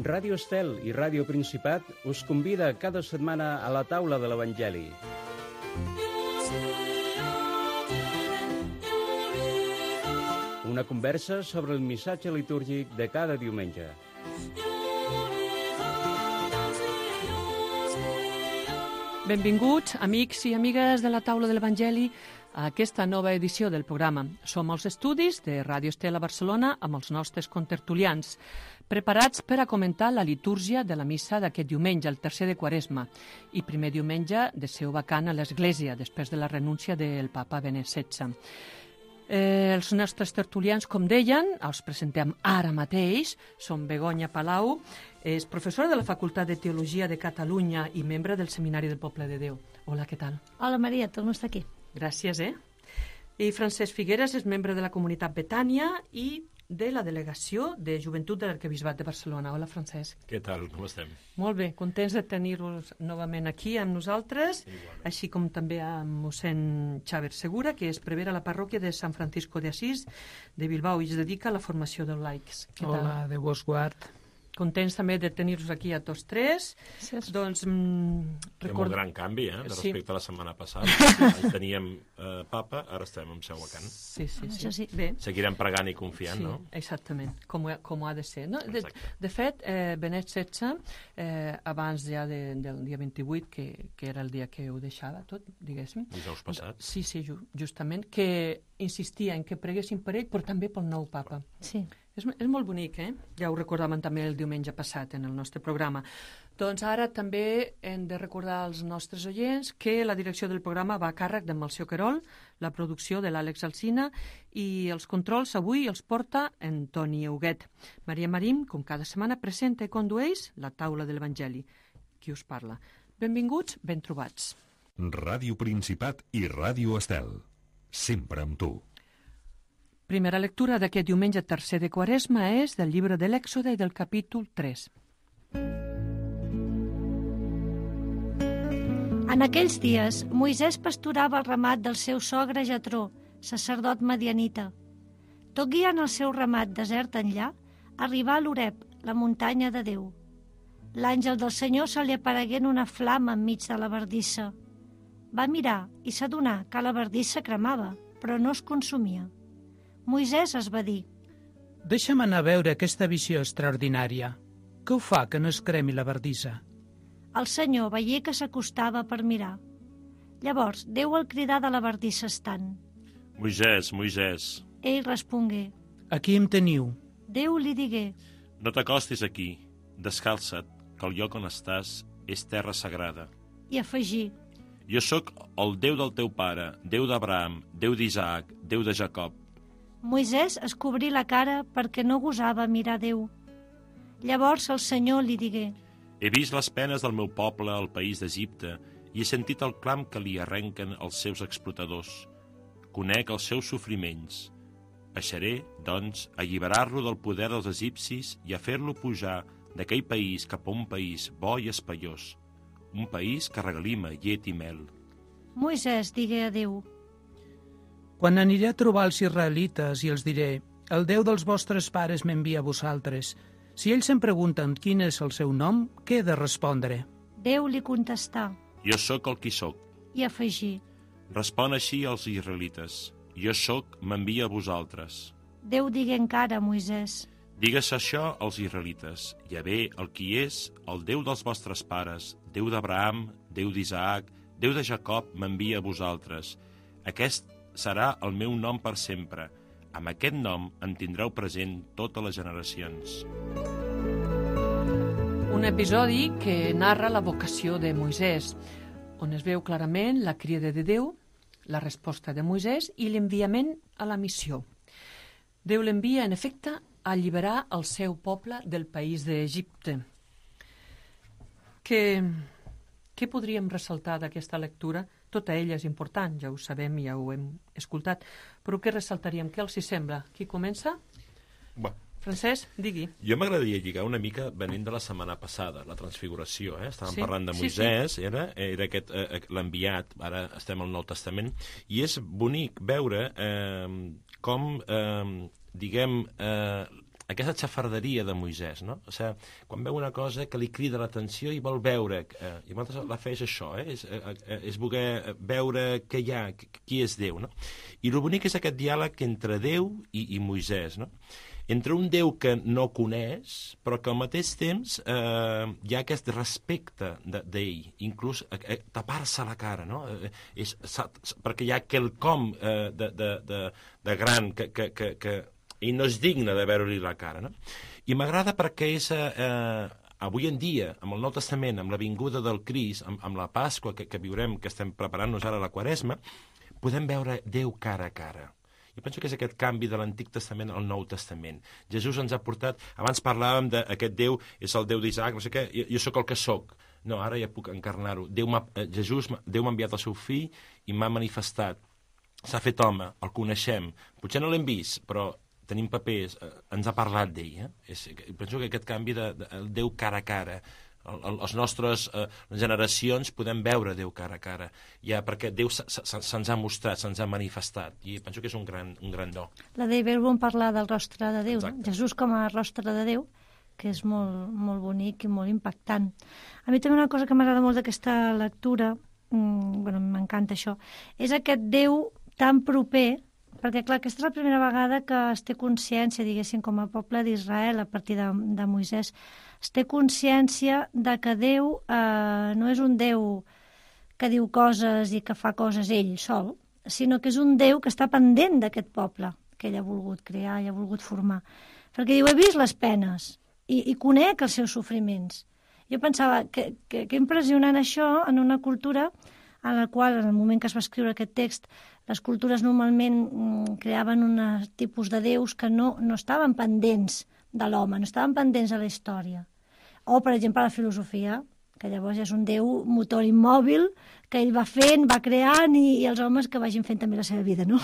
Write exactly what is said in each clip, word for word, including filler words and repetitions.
Ràdio Estel i Ràdio Principat us convida cada setmana a la taula de l'Evangeli. Una conversa sobre el missatge litúrgic de cada diumenge. Benvinguts, amics i amigues de la taula de l'Evangeli, a aquesta nova edició del programa. Som als estudis de Ràdio Estel a Barcelona amb els nostres contertulians, preparats per a comentar la litúrgia de la missa d'aquest diumenge, el tercer de Quaresma, i primer diumenge de seu vacant a l'Església, després de la renúncia del papa Benet setze. Eh, els nostres tertulians, com deien, els presentem ara mateix. Són Begoña Palau, és professora de la Facultat de Teologia de Catalunya i membre del Seminari del Poble de Déu. Hola, què tal? Hola, Maria, torno a estar aquí. Gràcies, eh? I Francesc Figueres és membre de la comunitat Betània i de la Delegació de Joventut de l'Arquebisbat de Barcelona. Hola, Francesc. Què tal? Com estem? Molt bé, contents de tenir-vos novament aquí amb nosaltres, igualment, així com també amb mossèn Xavier Segura, que és prevere a la parròquia de Sant Francisco de Asís de Bilbao i es dedica a la formació dels laics. Què tal? Hola, Déu vos guard. Contents també de tenir-vos aquí a tots tres. Sí. Doncs, mm, record... un gran canvi, eh, de respecte sí. a la setmana passada. Ahí teníem eh, papa, ara estem amb seu vacant. Sí, sí, sí. sí. Bé. Seguirem pregant i confiant, sí, no? Exactament, com, com ha de ser. No? De, de fet, eh, Benet setze, eh, abans ja de, del dia vint-i-vuit, que, que era el dia que ho deixava tot, diguéssim. Dijous passat. Sí, sí, justament, que insistia en que preguessin per ell, però també pel nou papa. Sí. És, és molt bonic, eh? Ja ho recordàvem també el diumenge passat en el nostre programa. Doncs ara també hem de recordar als nostres oients que la direcció del programa va a càrrec de Melcior Querol, la producció de l'Àlex Alsina i els controls avui els porta en Toni Huguet. Maria Marín, com cada setmana, presenta i condueix la taula de l'Evangeli. Qui us parla? Benvinguts, ben trobats. Ràdio Principat i Ràdio Estel. Sempre amb tu. Primera lectura d'aquest diumenge tercer de Quaresma és del llibre de l'Èxode i del capítol tres. En aquells dies, Moisès pasturava el ramat del seu sogre Jetró, sacerdot madianita. Tot guiant el seu ramat desert enllà, arribà a l'Oreb, la muntanya de Déu. L'àngel del Senyor se li aparegué en una flama enmig de la bardissa. Va mirar i s'adonà que la bardissa cremava, però no es consumia. Moisès es va dir: Deixa'm anar a veure aquesta visió extraordinària. Què ho fa que no es cremi la bardissa? El Senyor veié que s'acostava per mirar. Llavors Déu el cridà de la bardissa estant. Moisès, Moisès. Ell respongué: Aquí em teniu. Déu li digué: No t'acostis aquí, descalça't, que el lloc on estàs és terra sagrada. I afegí: Jo sóc el Déu del teu pare, Déu d'Abraham, Déu d'Isaac, Déu de Jacob. Moisès es cobrí la cara perquè no gosava mirar Déu. Llavors el Senyor li digué: He vist les penes del meu poble al país d'Egipte i he sentit el clam que li arrenquen els seus explotadors. Conec els seus sofriments. Baixaré, doncs, a alliberar-lo del poder dels egipcis i a fer-lo pujar d'aquell país cap a un país bo i espaiós, un país que regalima llet i mel. Moisès digué a Déu: Quan aniré a trobar els israelites i els diré: El Déu dels vostres pares m'envia a vosaltres. Si ells em pregunten quin és el seu nom, què he de respondre? Déu li contestà: Jo sóc el qui sóc. I afegí: Respon així als israelites: Jo sóc, m'envia a vosaltres. Déu digué encara a Moisès: Digues això als israelites: Javé, el qui és, el Déu dels vostres pares, Déu d'Abraham, Déu d'Isaac, Déu de Jacob, m'envia a vosaltres. Aquest serà el meu nom per sempre. Amb aquest nom em tindreu present totes les generacions. Un episodi que narra la vocació de Moisès, on es veu clarament la crida de Déu, la resposta de Moisès i l'enviament a la missió. Déu l'envia, en efecte, a alliberar el seu poble del país d'Egipte. Què, què podríem ressaltar d'aquesta lectura? Tota ella és important, ja ho sabem, ja ho hem escoltat, però què ressaltaríem? Què els hi sembla? Qui comença? Va. Francesc, digui. Jo m'agradaria lligar una mica venint de la setmana passada, la transfiguració, eh? Estàvem sí, parlant de Moisès, sí, sí. Era, era aquest eh, l'enviat, ara estem al Nou Testament, i és bonic veure eh, com, eh, diguem, eh, aquesta xafarderia de Moisès, no? O sigui, quan veu una cosa que li crida l'atenció i vol veure, eh, i moltes la fe és això, eh? és, eh, és voler veure què hi ha, qui és Déu, no? I el bonic és aquest diàleg entre Déu i, i Moisès, no? Entre un Déu que no coneix, però que al mateix temps eh, hi ha aquest respecte d'ell, inclús eh, tapar-se la cara, no? Eh, és, perquè hi ha quelcom eh, de, de, de, de gran que, que, que, que ell no és digne de veure-li la cara, no? I m'agrada perquè és... Eh, avui en dia, amb el Nou Testament, amb la vinguda del Crist, amb, amb la Pasqua que, que viurem, que estem preparant-nos ara a la Quaresma, podem veure Déu cara a cara. Jo penso que és aquest canvi de l'Antic Testament al Nou Testament. Jesús ens ha portat... Abans parlàvem d'aquest Déu, és el Déu d'Isaac, no sé què, jo, jo sóc el que sóc. No, ara ja puc encarnar-ho. Déu Jesús, Déu m'ha enviat el seu fill i m'ha manifestat. S'ha fet home, el coneixem. Potser no l'hem vist, però tenim papers, eh, ens ha parlat d'ell. Eh? És, penso que aquest canvi de, de, de Déu cara a cara, el, el, les nostres eh, generacions podem veure Déu cara a cara, ja perquè Déu se'ns ha mostrat, se'ns ha manifestat, i penso que és un gran, un gran do. La David vol parlar del rostre de Déu, no? Jesús com a rostre de Déu, que és molt, molt bonic i molt impactant. A mi també una cosa que m'agrada molt d'aquesta lectura, mmm, bueno, m'encanta això, és aquest Déu tan proper, perquè, clar, aquesta és la primera vegada que es té consciència, diguéssim, com a poble d'Israel, a partir de, de Moisès, es té consciència de que Déu eh, no és un Déu que diu coses i que fa coses ell sol, sinó que és un Déu que està pendent d'aquest poble que ell ha volgut crear i ha volgut formar. Perquè diu, he vist les penes i, i conec els seus sofriments. Jo pensava que, que, que impressionant això en una cultura en la qual, en el moment que es va escriure aquest text, les cultures normalment mm, creaven un tipus de déus que no, no estaven pendents de l'home, no estaven pendents de la història. O, per exemple, la filosofia, que llavors és un déu motor immòbil, que ell va fent, va creant, i, i els homes que vagin fent també la seva vida, no?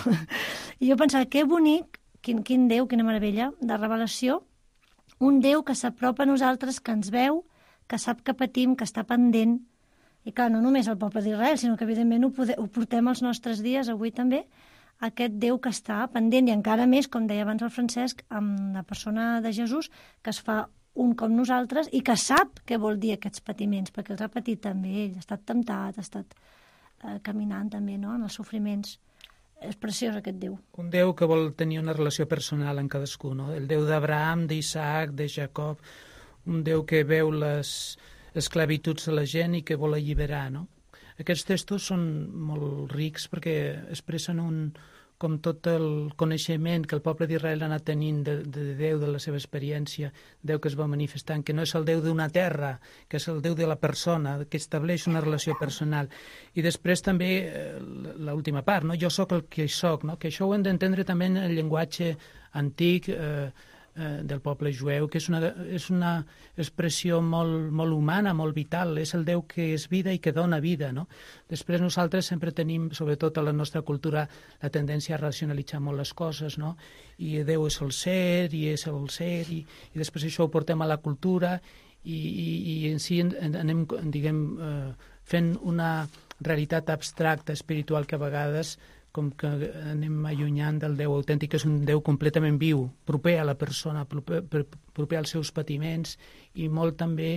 I jo pensava, que bonic, quin, quin déu, quina meravella, de revelació, un déu que s'apropa a nosaltres, que ens veu, que sap que patim, que està pendent. I clar, no només el poble d'Israel, sinó que evidentment ho, pode, ho portem als nostres dies, avui també, aquest Déu que està pendent, i encara més, com deia abans el Francesc, amb la persona de Jesús, que es fa un com nosaltres i que sap què vol dir aquests patiments, perquè els ha patit també ell, ha estat temptat, ha estat eh, caminant també, no?, en els sofriments. És preciós aquest Déu. Un Déu que vol tenir una relació personal amb cadascú, no? El Déu d'Abraham, d'Isaac, de Jacob, un Déu que veu les esclavituds de la gent i que vol alliberar, no? Aquests textos són molt rics perquè expressen un, com tot el coneixement que el poble d'Israel ha anat tenint de, de Déu, de la seva experiència, Déu que es va manifestant, que no és el Déu d'una terra, que és el Déu de la persona, que estableix una relació personal. I després també eh, l'última part, no? Jo sóc el que sóc, no? Que això ho hem d'entendre també en el llenguatge antic, eh, del poble jueu, que és una, és una expressió molt, molt humana, molt vital, és el Déu que és vida i que dona vida, no? Després nosaltres sempre tenim, sobretot a la nostra cultura, la tendència a racionalitzar molt les coses, no? I Déu és el ser, i és el ser, i, i després això ho portem a la cultura, i, i, i en si anem, diguem, eh, fent una realitat abstracta, espiritual, que a vegades com que anem allunyant del Déu autèntic, que és un Déu completament viu, proper a la persona, proper, proper als seus patiments i molt també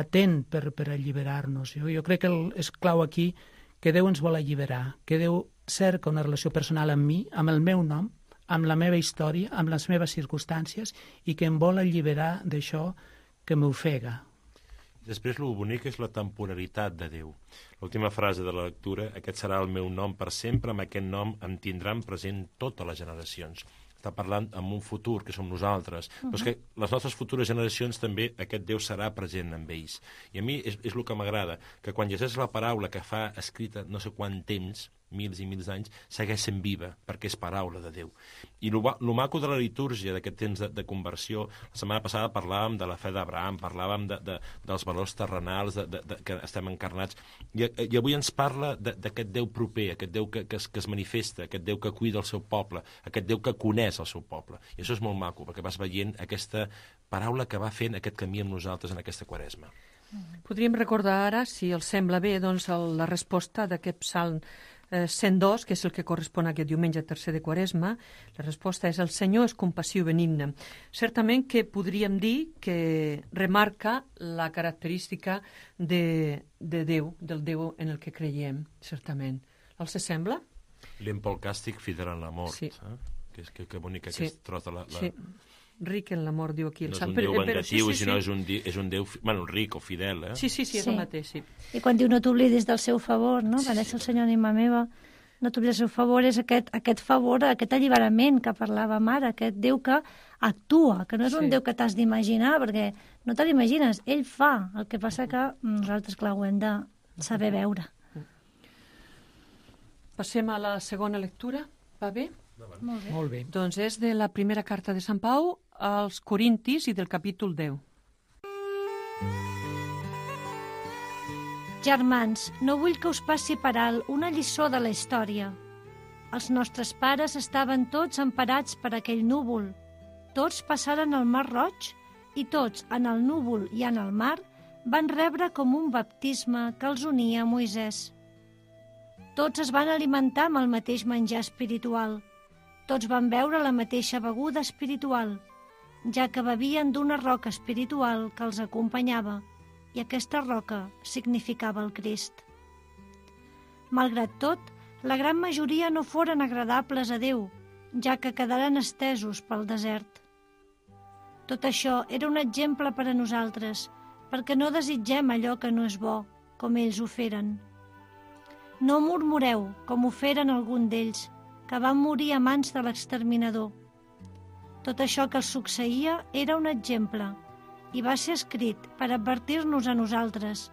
atent per, per alliberar-nos. Jo, jo crec que el, és clau aquí que Déu ens vol alliberar, que Déu cerca una relació personal amb mi, amb el meu nom, amb la meva història, amb les meves circumstàncies, i que em vol alliberar d'això que m'ofega. Després, el bonic és la temporalitat de Déu. L'última frase de la lectura, aquest serà el meu nom per sempre, amb aquest nom em tindran present totes les generacions. Està parlant amb un futur, que som nosaltres. Uh-huh. Però és que les nostres futures generacions també aquest Déu serà present amb ells. I a mi és, és el que m'agrada, que quan llegeix la paraula que fa escrita no sé quant temps, mils i mils d'anys, segueix sent viva, perquè és paraula de Déu. I el maco de la litúrgia d'aquest temps de, de conversió, la setmana passada parlàvem de la fe d'Abraham, parlàvem de, de, dels valors terrenals, de, de, de, que estem encarnats, i, i avui ens parla d'aquest Déu proper, aquest Déu que, que, es, que es manifesta, aquest Déu que cuida el seu poble, aquest Déu que coneix el seu poble. I això és molt maco, perquè vas veient aquesta paraula que va fent aquest camí amb nosaltres en aquesta Quaresma. Podríem recordar ara, si els sembla bé, doncs, el, la resposta d'aquest psalm eh, cent dos, que és el que correspon a aquest diumenge tercer de Quaresma, la resposta és el Senyor és compassiu i benigne. Certament que podríem dir que remarca la característica de, de Déu, del Déu en el que creiem, certament. Els sembla? Lent pel càstig, fidel en l'amor. Sí. Eh? Que, que, que bonic Sí. aquest tros de la... la... Sí. Ric en l'amor, diu aquí el No és sant. un Déu Però- però- vengatiu, sí, sí, sinó sí. és un, di- és un Déu, fi- bueno, ric o fidel, eh? Sí, sí, sí, és Sí. el mateix, sí. I quan diu no t'oblidis del seu favor, no? Va néixer el Senyor ànima meva, no t'oblidis del seu favor, és aquest, aquest favor, aquest alliberament que parlàvem ara, aquest Déu que actua, que no és un Sí. Déu que t'has d'imaginar, perquè no te l'imagines, ell fa. El que passa que nosaltres, clar, ho hem de saber veure. Passem a la segona lectura, va bé? Molt bé. Molt bé. Doncs és de la primera carta de Sant Pau als Corintis i del capítol deu. Germans, no vull que us passi per alt una lliçó de la història. Els nostres pares estaven tots emparats per aquell núvol. Tots passaren el Mar Roig i tots, en el núvol i en el mar, van rebre com un baptisme que els unia a Moisès. Tots es van alimentar amb el mateix menjar espiritual. Tots van beure la mateixa beguda espiritual, ja que bevien d'una roca espiritual que els acompanyava, i aquesta roca significava el Crist. Malgrat tot, la gran majoria no foren agradables a Déu, ja que quedaren estesos pel desert. Tot això era un exemple per a nosaltres, perquè no desitgem allò que no és bo, com ells ho feren. No murmureu, com ho feren algun d'ells, que van morir a mans de l'exterminador. Tot això que els succeïa era un exemple, i va ser escrit per advertir-nos a nosaltres,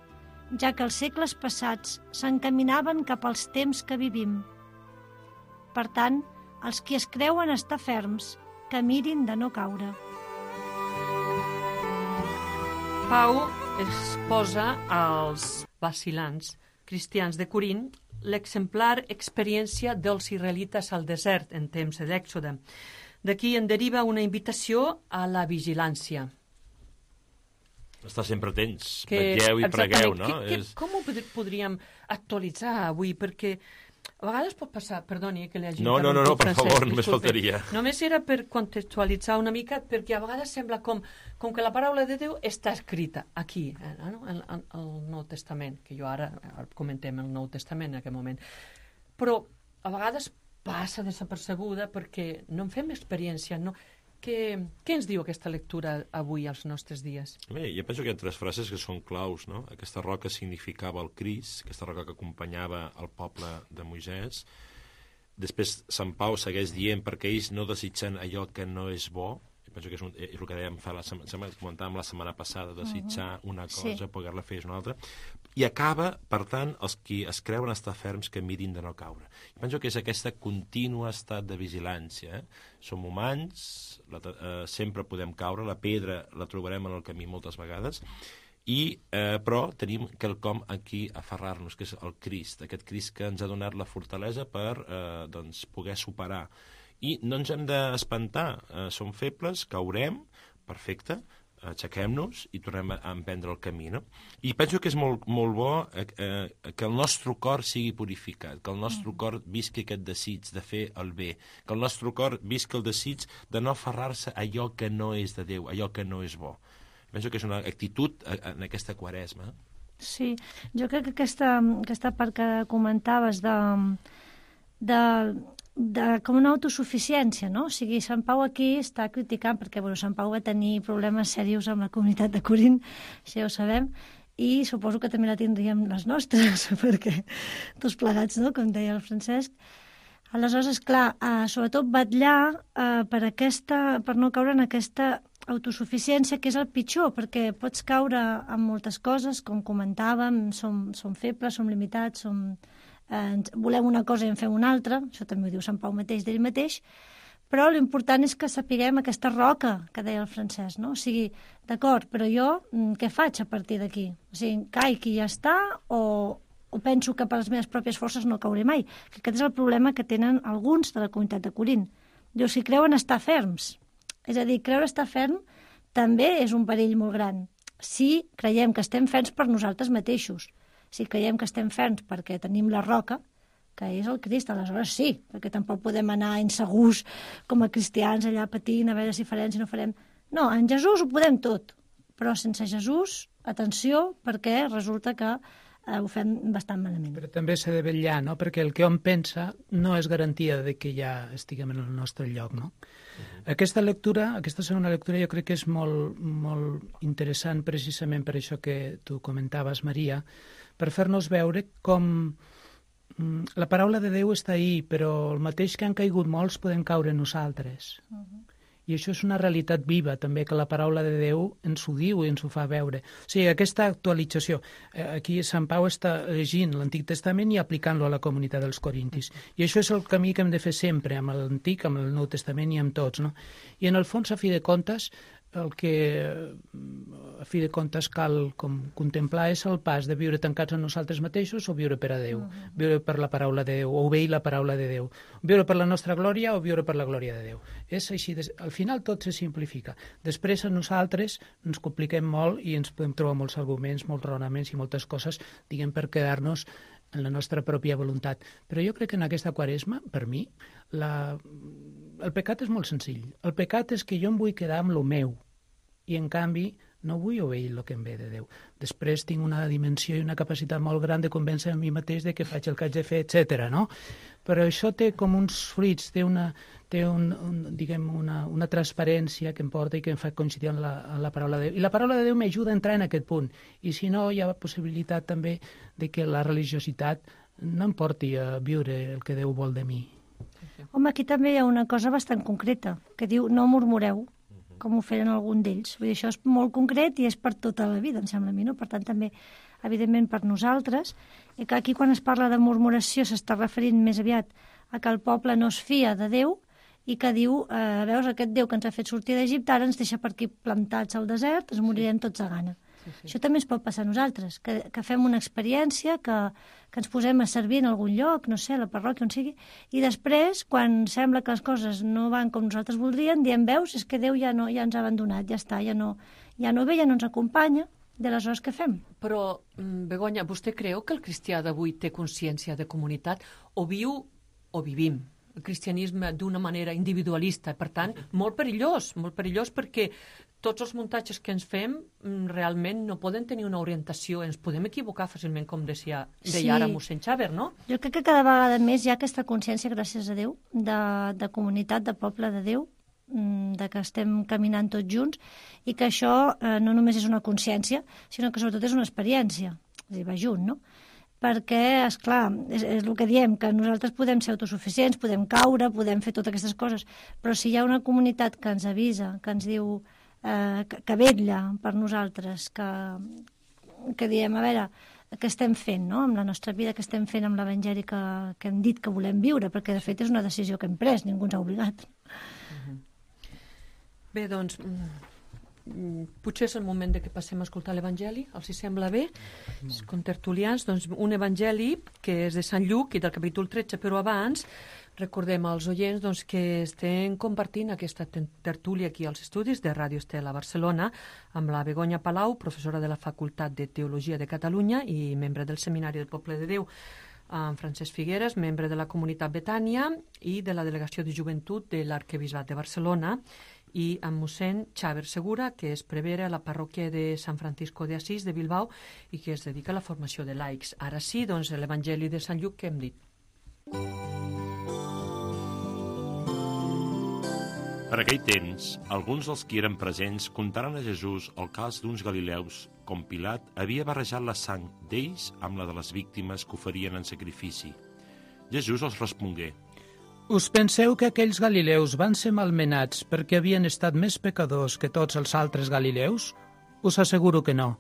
ja que els segles passats s'encaminaven cap als temps que vivim. Per tant, els qui es creuen estar ferms, que mirin de no caure. Pau exposa als vacilants cristians de Corint l'exemplar experiència dels israelites al desert en temps de l'Èxode. D'aquí en deriva una invitació a la vigilància. Estar sempre atents, Que, vetlleu i pregueu, exactament, no? Que, que, És... com ho pod- podríem actualitzar avui? Perquè a vegades pot passar... Perdoni que li hagi No, no, no, no, interromput, per Francesc, favor, només disculpe. faltaria. Només era per contextualitzar una mica, perquè a vegades sembla com, com que la paraula de Déu està escrita aquí, eh, no? en, en el Nou Testament, que jo ara, ara comentem el Nou Testament en aquest moment. Però a vegades passa desapercebuda perquè no en fem experiència, no? Què, què ens diu aquesta lectura avui als nostres dies? Bé, jo penso que hi ha tres frases que són claus, no? Aquesta roca significava el Crist, aquesta roca que acompanyava el poble de Moisès. Després Sant Pau segueix dient perquè ells no desitgen allò que no és bo. Jo penso que és, un, és el que dèiem fa la setmana, comentàvem la setmana passada, desitjar una cosa, Sí. poder-la fer és una altra. I acaba, per tant, els qui es creuen estar ferms que mirin de no caure. Jo penso que és aquesta contínua estat de vigilància. Eh? Som humans, la, eh, sempre podem caure, la pedra la trobarem en el camí moltes vegades, i, eh, però tenim quelcom aquí a aferrar-nos, que és el Crist, aquest Crist que ens ha donat la fortalesa per eh, doncs, poder superar. I no ens hem d'espantar, eh, som febles, caurem, perfecte, aixequem-nos i tornem a emprendre el camí, no? I penso que és molt, molt bo eh, eh, que el nostre cor sigui purificat, que el nostre cor visqui aquest desig de fer el bé, que el nostre cor visqui el desig de no aferrar-se a allò que no és de Déu, allò que no és bo. Penso que és una actitud en aquesta quaresma. Sí, jo crec que aquesta, aquesta part que comentaves de, de, de com una autosuficiència, no? O sigui, Sant Pau aquí està criticant, perquè bueno, Sant Pau va tenir problemes seriosos amb la comunitat de Corint, això ja ho sabem, i suposo que també la tindríem les nostres, perquè tots plegats, no?, com deia el Francesc. Aleshores, clar, eh, sobretot vetllar eh, per, aquesta, per no caure en aquesta autosuficiència, que és el pitjor, perquè pots caure en moltes coses, com comentàvem, som, som febles, som limitats, som, eh, volem una cosa i en fem una altra, això també ho diu Sant Pau mateix d'ell mateix, però l'important és que sapiguem aquesta roca que deia el Francesc, no? O sigui, d'acord, però jo què faig a partir d'aquí? O sigui, caic i ja està, o, o penso que per les meves pròpies forces no cauré mai? Que aquest és el problema que tenen alguns de la comunitat de Corint. Diu, si creuen estar ferms. És a dir, creure estar ferm també és un perill molt gran. Si creiem que estem ferms per nosaltres mateixos, si creiem que estem ferms perquè tenim la roca, que és el Crist. Aleshores sí, perquè tampoc podem anar insegurs com a cristians allà patint, a veure si farem, si no farem. No, en Jesús ho podem tot, però sense Jesús, atenció, perquè resulta que eh, ho fem bastant malament. Però també s'ha de vetllar, no? Perquè el que hom pensa no és garantia de que ja estiguem en el nostre lloc, no? Uh-huh. Aquesta lectura, aquesta segona lectura, jo crec que és molt, molt interessant precisament per això que tu comentaves, Maria, per fer-nos veure com la paraula de Déu està ahí, però el mateix que han caigut molts podem caure nosaltres. Uh-huh. I això és una realitat viva, també, que la paraula de Déu ens ho diu i ens ho fa veure. O sigui, aquesta actualització, aquí Sant Pau està llegint l'Antic Testament i aplicant-lo a la comunitat dels corintis. I això és el camí que hem de fer sempre, amb l'Antic, amb el Nou Testament i amb tots, no? I en el fons, a fi de comptes, el que a fi de comptes cal com contemplar és el pas de viure tancats en nosaltres mateixos o viure per a Déu, uh-huh. viure per la paraula de Déu, o obeir la paraula de Déu, viure per la nostra glòria o viure per la glòria de Déu. És així, al final tot se simplifica. Després a nosaltres ens compliquem molt i ens podem trobar molts arguments, molts raonaments i moltes coses, diguem, per quedar-nos en la nostra pròpia voluntat. Però jo crec que en aquesta quaresma, per mi, la... el pecat és molt senzill. El pecat és que jo em vull quedar amb lo meu i, en canvi, no vull obeir el que em ve de Déu. Després tinc una dimensió i una capacitat molt gran de convèncer a mi mateix de que faig el que haig de fer, etcètera, no? Però això té com uns fruits, té una, té un, un, diguem, una, una transparència que em porta i que em fa coincidir amb la, amb la paraula de Déu. I la paraula de Déu m'ajuda a entrar en aquest punt. I si no, hi ha possibilitat també de que la religiositat no em porti a viure el que Déu vol de mi. Home, aquí també hi ha una cosa bastant concreta, que diu no murmureu, com ho feien algun d'ells. Vull dir, això és molt concret i és per tota la vida, em sembla a mi, no? Per tant, també, evidentment, per nosaltres. I que aquí, quan es parla de murmuració, s'està referint més aviat a que el poble no es fia de Déu i que diu, eh, veus, aquest Déu que ens ha fet sortir d'Egipte, ara ens deixa per aquí plantats al desert, ens morirem tots a gana. Sí, sí. Això també ens pot passar a nosaltres, que, que fem una experiència, que, que ens posem a servir en algun lloc, no sé, a la parròquia, on sigui, i després, quan sembla que les coses no van com nosaltres voldríem, diem, veus, és que Déu ja, no, ja ens ha abandonat, ja està, ja no, ja no ve, ja no ens acompanya, de les hores que fem. Però, Begoña, vostè creu que el cristià d'avui té consciència de comunitat o viu o vivim el cristianisme d'una manera individualista? Per tant, molt perillós, molt perillós perquè tots els muntatges que ens fem realment no poden tenir una orientació, ens podem equivocar fàcilment, com deia, deia sí. ara mossèn Xaver, no? Jo crec que cada vegada més hi ha aquesta consciència, gràcies a Déu, de, de comunitat, de poble de Déu, de que estem caminant tots junts i que això eh, no només és una consciència, sinó que sobretot és una experiència, és a dir, va junt, no? Perquè, esclar, és, és el que diem, que nosaltres podem ser autosuficients, podem caure, podem fer totes aquestes coses, però si hi ha una comunitat que ens avisa, que ens diu eh, que, que vetlla per nosaltres, que, que diem, a veure, què estem fent, no?, amb la nostra vida, què estem fent amb l'Evangeli que, que hem dit que volem viure, perquè de fet és una decisió que hem pres, ningú ens ha obligat. Uh-huh. Bé, doncs, potser és el moment de que passem a escoltar l'Evangeli, els hi sembla bé? Els contertulians, doncs un Evangeli que és de Sant Lluc i del capítol tretze, però abans recordem als oients doncs, que estem compartint aquesta tertúlia aquí als estudis de Ràdio Estel a Barcelona amb la Begoña Palau, professora de la Facultat de Teologia de Catalunya i membre del Seminari del Poble de Déu, amb Francesc Figueres, membre de la comunitat Betània i de la Delegació de Joventut de l'Arquebisbat de Barcelona, i amb mossèn Xaver Segura, que és prevere a la parròquia de Sant Francisco de Asís de Bilbao i que es dedica a la formació de laics. Ara sí, doncs, l'Evangeli de Sant Lluc que hem dit. Per aquell temps, alguns dels que eren presents contaren a Jesús el cas d'uns galileus com Pilat havia barrejat la sang d'ells amb la de les víctimes que oferien en sacrifici. Jesús els respongué: Us penseu que aquells galileus van ser malmenats perquè havien estat més pecadors que tots els altres galileus? Us asseguro que no.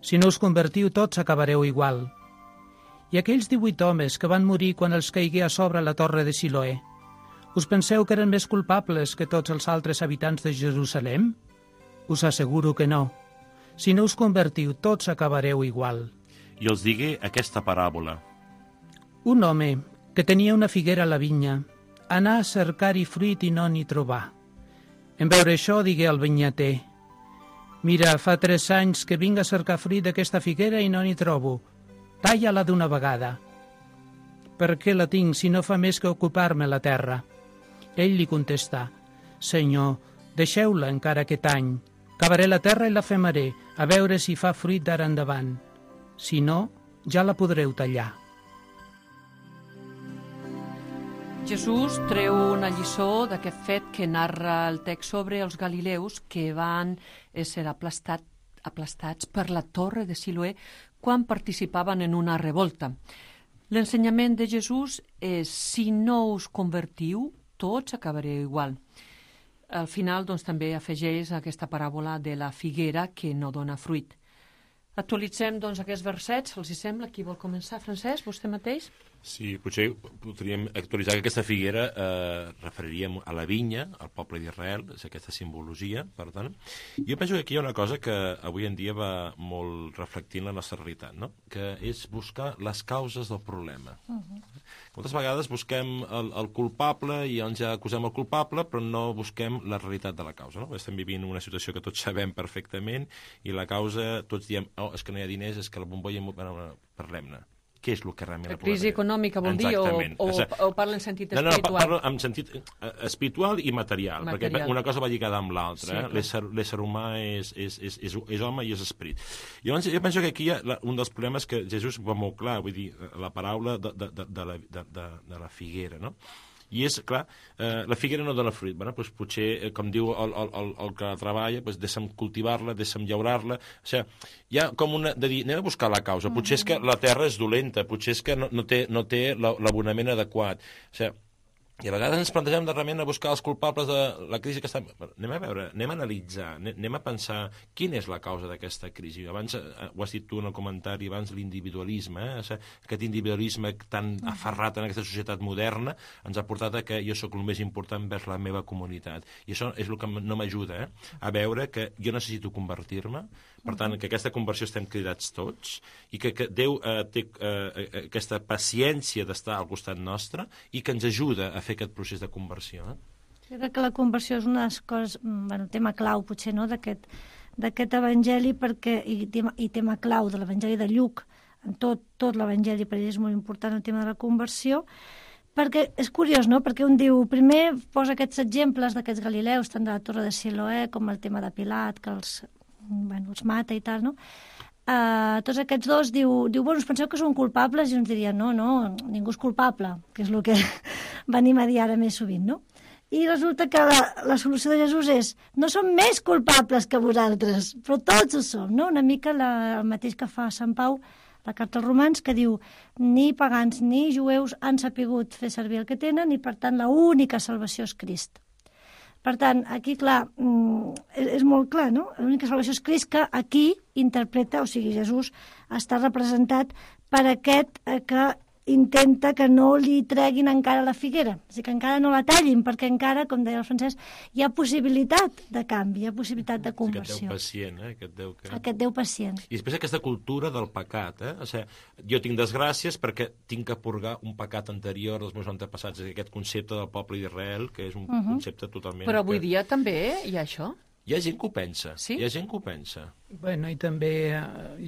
Si no us convertiu tots acabareu igual. I aquells divuit homes que van morir quan els caigué a sobre la torre de Siloé, us penseu que eren més culpables que tots els altres habitants de Jerusalem? Us asseguro que no. Si no us convertiu tots acabareu igual. I els digué aquesta paràbola. Un home que tenia una figuera a la vinya, anà a cercar-hi fruit i no n'hi trobà. En veure això, digué al vinyater: Mira, fa tres anys que vinc a cercar fruit d'aquesta figuera i no n'hi trobo. Talla-la d'una vegada. per què la tinc si no fa més que ocupar-me la terra? Ell li contestà, Senyor, deixeu-la encara aquest any. Cavaré la terra i la femaré, a veure si fa fruit d'ara endavant. Si no, ja la podreu tallar. Jesús treu una lliçó d'aquest fet que narra el text sobre els galileus que van ser aplastat, aplastats per la torre de Siloé quan participaven en una revolta. L'ensenyament de Jesús és, si no us convertiu, tots acabareu igual. Al final, doncs, també afegeix aquesta paràbola de la figuera que no dona fruit. Actualitzem, doncs, aquests versets, els hi sembla? Qui vol començar? Francesc, vostè mateix? Sí, potser podríem actualitzar que aquesta figuera eh, referiríem a la vinya, al poble d'Israel, és aquesta simbologia, per tant. Jo penso que aquí hi ha una cosa que avui en dia va molt reflectint la nostra realitat, no? Que és buscar les causes del problema. Uh-huh. Moltes vegades busquem el, el culpable i llavors ja acusem el culpable, però no busquem la realitat de la causa, no? Estem vivint una situació que tots sabem perfectament i la causa, tots diem, oh, és que no hi ha diners, és que la bombolla... Bueno, parlem-ne. Què és el que realment... La crisi econòmica vol dir, o, o, o parla en sentit no, no, espiritual? No, parla en sentit espiritual i material, material. Perquè una cosa va lligada amb l'altra. Sí, eh? L'ésser humà és, és, és, és, és home i és esperit. Llavors, jo penso que aquí hi ha la, un dels problemes que Jesús va molt clar, vull dir, la paraula de, de, de, de, la, de, de, de la figuera, no? I és, clar, eh, la figuera no dona fruit. Bueno, doncs potser, eh, com diu el, el, el, el que treballa, doncs deixa'm cultivar-la, deixa'm llaurar-la. O sigui, hi ha com una... de dir, anem a buscar la causa. Potser és que la terra és dolenta, potser és que no, no té, no té l'abonament adequat. O sigui, i a vegades ens plantegem de realment a buscar els culpables de la crisi que està... Anem a veure, anem a analitzar, anem a pensar quina és la causa d'aquesta crisi. Abans, ho has dit tu en el comentari, abans l'individualisme, eh? O sigui, aquest individualisme tan aferrat en aquesta societat moderna ens ha portat a que jo sóc el més important vers la meva comunitat. I això és el que no m'ajuda, eh? A veure que jo necessito convertir-me, per tant, que aquesta conversió estem cridats tots i que, que Déu eh, té eh, aquesta paciència d'estar al costat nostre i que ens ajuda a fer aquest procés de conversió. Eh? Jo crec que la conversió és una de les coses, bueno, tema clau potser, no?, d'aquest d'aquest evangeli, perquè, i tema, i tema clau de l'evangeli de Lluc, en tot, tot l'evangeli per ell és molt important el tema de la conversió, perquè és curiós, no?, perquè un diu, primer posa aquests exemples d'aquests galileus, tant de la torre de Siloé com el tema de Pilat, que els, bueno, els mata i tal, no? Uh, tots aquests dos diu, diu, bueno, us penseu que són culpables? I uns dirien, no, no, ningú és culpable, que és el que venim a dir ara més sovint, no? I resulta que la, la solució de Jesús és, no som més culpables que vosaltres, però tots ho som, no? Una mica la, el mateix que fa Sant Pau, la carta als Romans, que diu, ni pagans ni jueus han sapigut fer servir el que tenen i, per tant, la única salvació és Crist. Per tant, aquí, clar, és, és molt clar, no? L'única salvació és Crist, que aquí interpreta, o sigui, Jesús està representat per aquest que intenta que no li treguin encara la figuera, o sigui, que encara no la tallin, perquè encara, com deia el Francesc, hi ha possibilitat de canvi, hi ha possibilitat de conversió. Aquest Déu pacient, eh? Aquest Déu, que... Aquest Déu pacient. I després aquesta cultura del pecat, eh? O sigui, jo tinc desgràcies perquè tinc que purgar un pecat anterior dels meus antepassats, aquest concepte del poble d'Israel, que és un uh-huh. concepte totalment... Però avui que... dia també hi ha això? Hi ha gent que ho pensa, sí? Hi ha gent que ho pensa. Bueno, i també,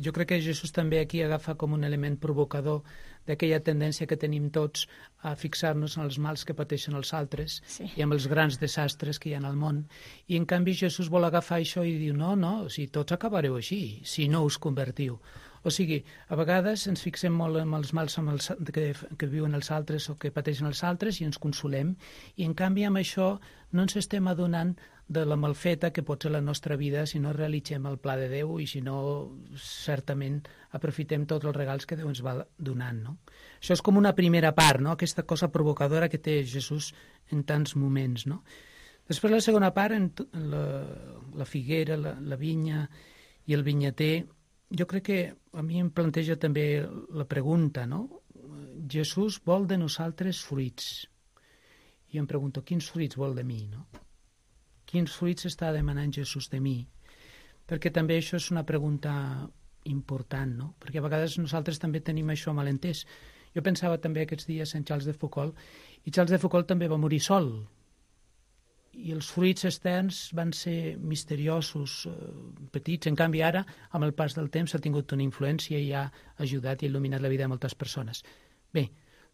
jo crec que Jesús també aquí agafa com un element provocador d'aquella tendència que tenim tots a fixar-nos en els mals que pateixen els altres sí. i amb els grans desastres que hi ha al món. I en canvi Jesús vol agafar això i diu, no, no, si tots acabareu així, si no us convertiu. O sigui, a vegades ens fixem molt en els mals amb els, que, que viuen els altres o que pateixen els altres i ens consolem, i en canvi amb això no ens estem adonant de la malfeta que pot ser la nostra vida si no realitzem el pla de Déu i si no, certament, aprofitem tots els regals que Déu ens va donant, no? Això és com una primera part, no?, aquesta cosa provocadora que té Jesús en tants moments, no? Després la segona part, en la, la figuera, la, la vinya i el vinyater, jo crec que a mi em planteja també la pregunta, no? Jesús vol de nosaltres fruits. I em pregunto, quins fruits vol de mi, no? Quins fruits està demanant Jesús de mi? Perquè també això és una pregunta important, no? Perquè a vegades nosaltres també tenim això malentès. Jo pensava també aquests dies en Charles de Foucault, i Charles de Foucault també va morir sol. I els fruits externs van ser misteriosos, eh, petits. En canvi, ara, amb el pas del temps, ha tingut una influència i ha ajudat i il·luminat la vida de moltes persones. Bé,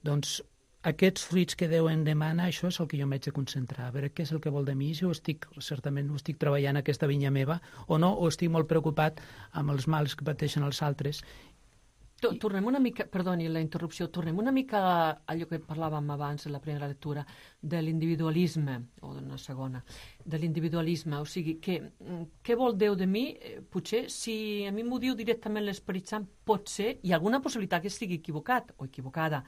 Doncs aquests fruits que Déu em demana, això és el que jo m'haig de concentrar, a veure què és el que vol de mi, si ho estic, certament ho estic treballant aquesta vinya meva, o no, o estic molt preocupat amb els mals que pateixen els altres. Tornem una mica, perdoni la interrupció, tornem una mica a allò que parlàvem abans en la primera lectura, de l'individualisme, o d'una segona, de l'individualisme, o sigui, que, què vol Déu de mi? Potser, si a mi m'ho diu directament l'Esperit Sant, pot ser, hi ha alguna possibilitat que estigui equivocat o equivocada.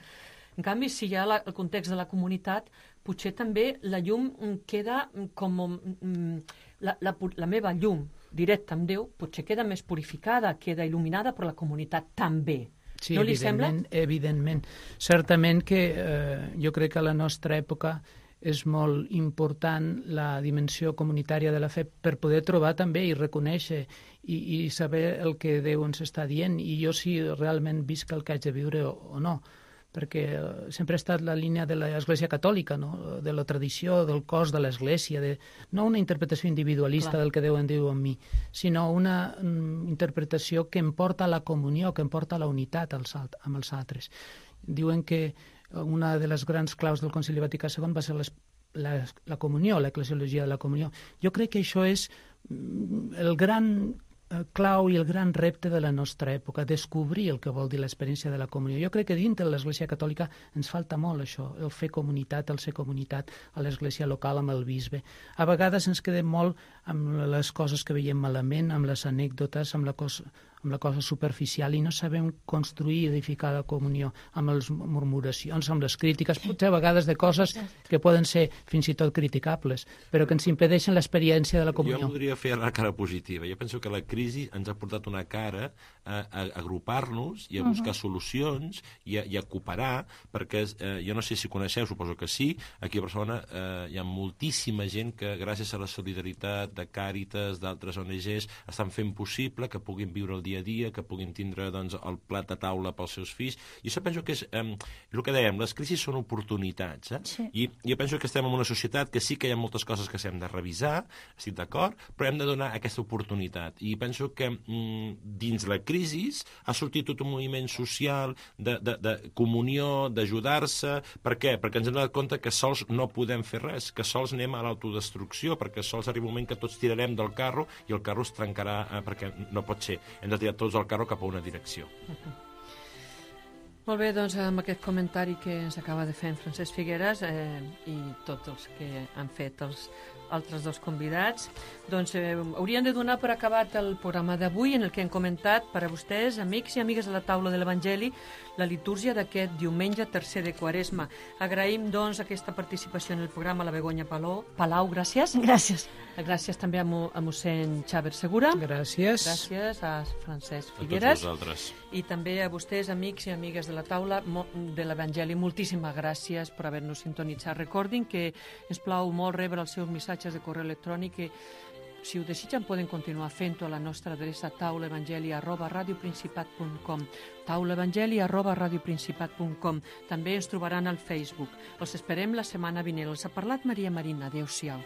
En canvi, si hi ha la, el context de la comunitat, potser també la llum queda com... La, la, la meva llum directa amb Déu potser queda més purificada, queda il·luminada, però la comunitat també. Sí, no li sembla? Evidentment. Certament que eh, jo crec que a la nostra època és molt important la dimensió comunitària de la fe per poder trobar també i reconèixer i, i saber el que Déu ens està dient, i jo si realment visc el que haig de viure o, o no, perquè sempre ha estat la línia de l'Església Catòlica, no? De la tradició, del cos de l'Església, de... no una interpretació individualista Clar. Del que Déu en diu en mi, sinó una mm, interpretació que em porta a la comunió, que em porta a la unitat als, amb els altres. Diuen que una de les grans claus del Concili Vaticà segon va ser les, la, la comunió, l'eclesiologia de la comunió. Jo crec que això és el gran clau i el gran repte de la nostra època, descobrir el que vol dir l'experiència de la comunió. Jo crec que dintre de l'Església Catòlica ens falta molt això, el fer comunitat, el ser comunitat a l'Església local amb el bisbe. A vegades ens quedem molt amb les coses que veiem malament, amb les anècdotes, amb la cosa, amb la cosa superficial, i no sabem construir i edificar la comunió amb les murmuracions, amb les crítiques, potser a vegades de coses que poden ser fins i tot criticables, però que ens impedeixen l'experiència de la comunió. Jo voldria fer la cara positiva. Jo penso que la crisi ens ha portat una cara a, a agrupar-nos i a buscar uh-huh. solucions i a, i a cooperar, perquè eh, jo no sé si coneixeu, suposo que sí, aquí a Barcelona eh, hi ha moltíssima gent que gràcies a la solidaritat de Càritas, d'altres O N Ges, estan fent possible que puguin viure el dia a dia, que puguin tindre doncs, el plat de taula pels seus fills. I això penso que és eh, el que dèiem, les crisis són oportunitats. Eh? Sí. I jo penso que estem en una societat que sí que hi ha moltes coses que s'hem de revisar, estic d'acord, però hem de donar aquesta oportunitat. I penso que mm, dins la crisi ha sortit tot un moviment social de, de, de comunió, d'ajudar-se. Per què? Perquè ens hem donat compte que sols no podem fer res, que sols anem a l'autodestrucció, perquè sols arriba un moment que tots tirarem del carro i el carro es trencarà, eh, perquè no pot ser. Hem de tirar tots el carro cap a una direcció. Uh-huh. Molt bé, doncs amb aquest comentari que ens acaba de fer en Francesc Figueres eh, i tots els que han fet els altres dos convidats, doncs eh, haurien de donar per acabat el programa d'avui, en el que hem comentat per a vostès, amics i amigues de la taula de l'Evangeli, la litúrgia d'aquest diumenge tercer de Quaresma. Agraïm, doncs, aquesta participació en el programa a la Begoña Palau. Palau, gràcies. Gràcies. Gràcies també a, mo, a mossèn Xaver Segura. Gràcies. Gràcies a Francesc Figueres. A tots vosaltres. I també a vostès, amics i amigues de la taula de l'Evangeli. Moltíssimes gràcies per haver-nos sintonitzat. Recordin que ens plau molt rebre els seus missatges de correu electrònic, que si ho desitgen poden continuar fent-ho a la nostra adreça taulaevangeli arroba radioprincipat punt com, taulaevangeli arroba radioprincipat punt com. També ens trobaran al Facebook. Els esperem la setmana vinent. Els ha parlat Maria Marina. Adéu-siau.